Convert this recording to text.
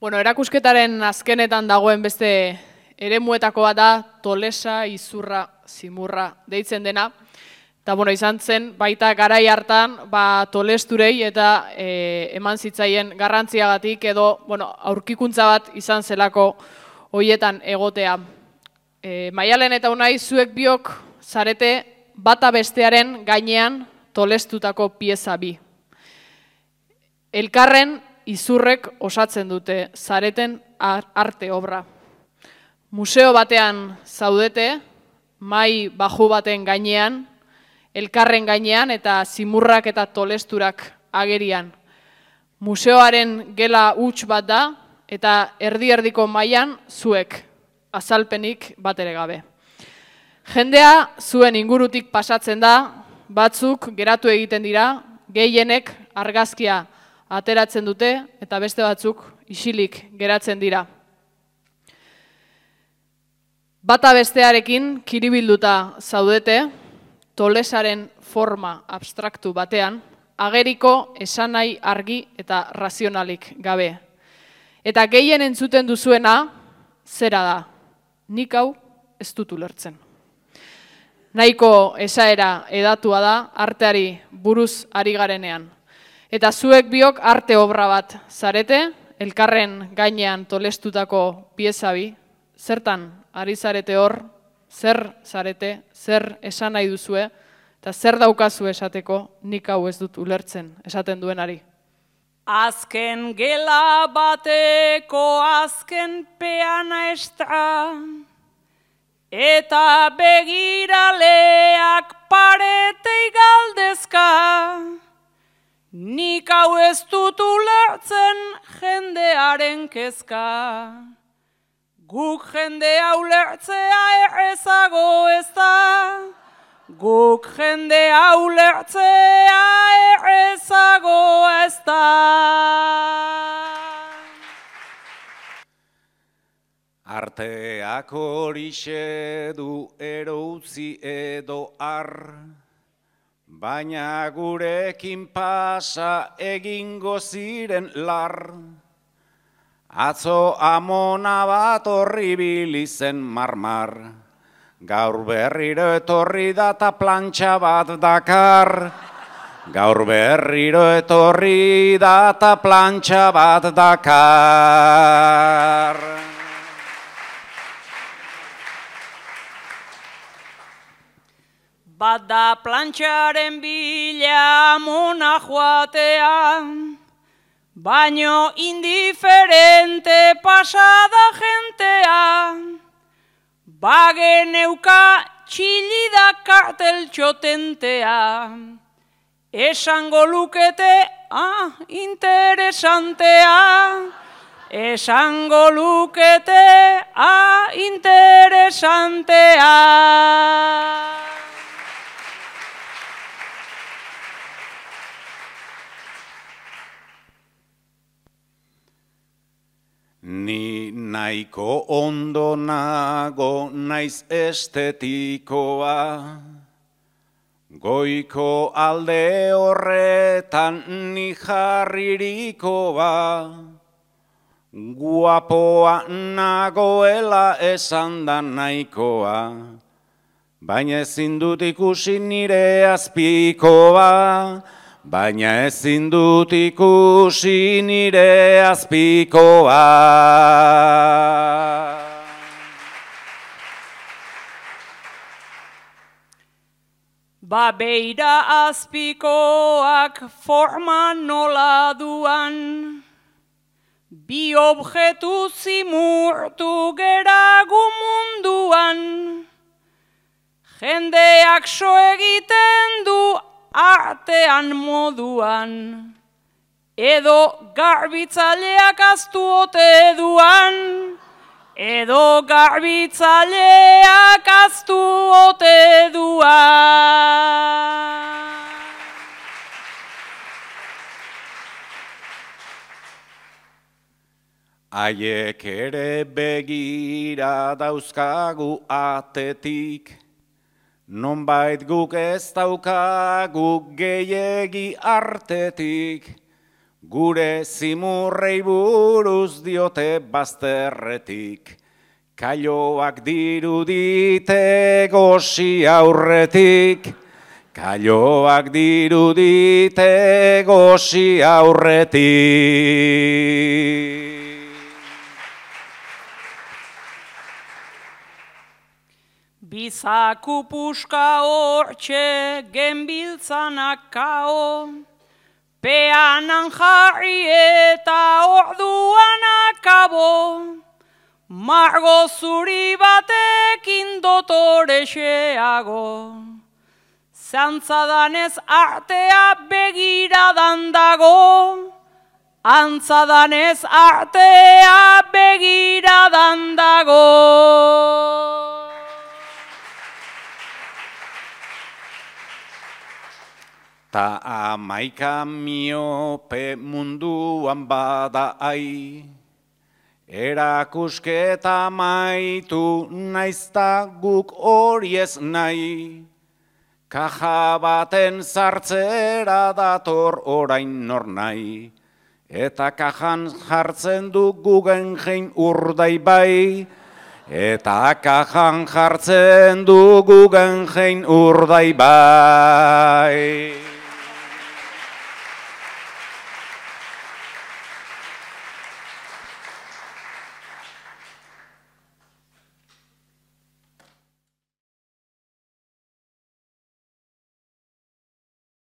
Bueno, erakusketaren azkenetan dagoen beste eremuetako bat da Tolesa, Izurra, Zimurra deitzen dena. Eta izan zen baita garai hartan Tolesturei eta eman zitzaien garrantziagatik edo aurkikuntza bat izan zelako hoietan egotea. Maialen eta Unai, zuek biok zarete bata bestearen gainean tolestutako pieza bi. Elkarren Izurrek osatzen dute zareten arte obra. Museo batean zaudete, mai baju baten gainean, elkarren gainean eta Zimurrak eta Tolesturak agerian. Museoaren gela huts bat da eta erdi-erdiko mailan zuek, azalpenik bat ere gabe. Jendea zuen ingurutik pasatzen da, batzuk geratu egiten dira, gehienek argazkia ateratzen dute eta beste batzuk isilik geratzen dira. Bata bestearekin kiribilduta zaudete, Tolesaren forma abstraktu batean, ageriko esanahi argi eta razionalik gabe. Eta gehien entzuten duzuena, zera da, nik hau ez dut ulertzen. Nahiko esaera edatua da arteari buruz ari garenean. Eta zuek biok arte obra bat zarete, elkarren gainean tolestutako pieza bi, zertan ari zarete hor, zer zarete, zer esan nahi duzue, eta zer daukazu esateko nik hau ez dut ulertzen esaten duenari. Azken gela bateko azken peana estra, eta begiraleak paretei galdezka, nik hau ez dut ulertzen jendearen kezka. Guk jendea ulertzea errezago ez da, guk jendea ulertzea errezago ez da. Arteak horixe du eroutzi edo ar, baina gurekin pasa egingo ziren lar. Atzo amona bat horri bilizen marmar, gaur berriro etorri da ta plantxa bat dakar. Gaur berriro etorri da ta plantxa bat dakar. Bada plantxaren bila amona joatean, baino indiferente pasada gentea, bageneuka txilida kartel txotentea, esango lukete, interesantea, esango lukete, interesantea. Ni nahiko ondo nago naiz estetikoa, goiko alde horretan ni jarririkoa, guapoa nagoela esan da nahikoa, baina ezin dut ikusi nire azpikoa, baina ezin dut ikusi nire azpikoa. Beira azpikoak forma nola duan, bi objetu zimurtu geragu munduan, jendeak so egiten du artean moduan, edo garbitzaileak aztu ote duan, edo garbitzaileak aztu ote duan. Haiek ere begira dauzkagu atetik, nonbait guk ez daukagu gehiegi artetik, Gure zimurrei buruz diote bazterretik, kailoak dirudite gosi aurretik, kailoak dirudite gosi aurretik. Bizaku puska hortxe genbiltzanak kao, peanan jarri eta orduan akabo, margo zuri batekin dotorexeago. Zantzadanez artea begiradan dago, antzadanez artea begiradan dago. Ta 11 miope munduan bada ai, erakusketa maitu naizta guk hori ez nahi, kaja baten sartzera dator orain nor nahi, eta kajan jartzen du Guggenheim Urdaibai, eta kajan jartzen du Guggenheim Urdaibai.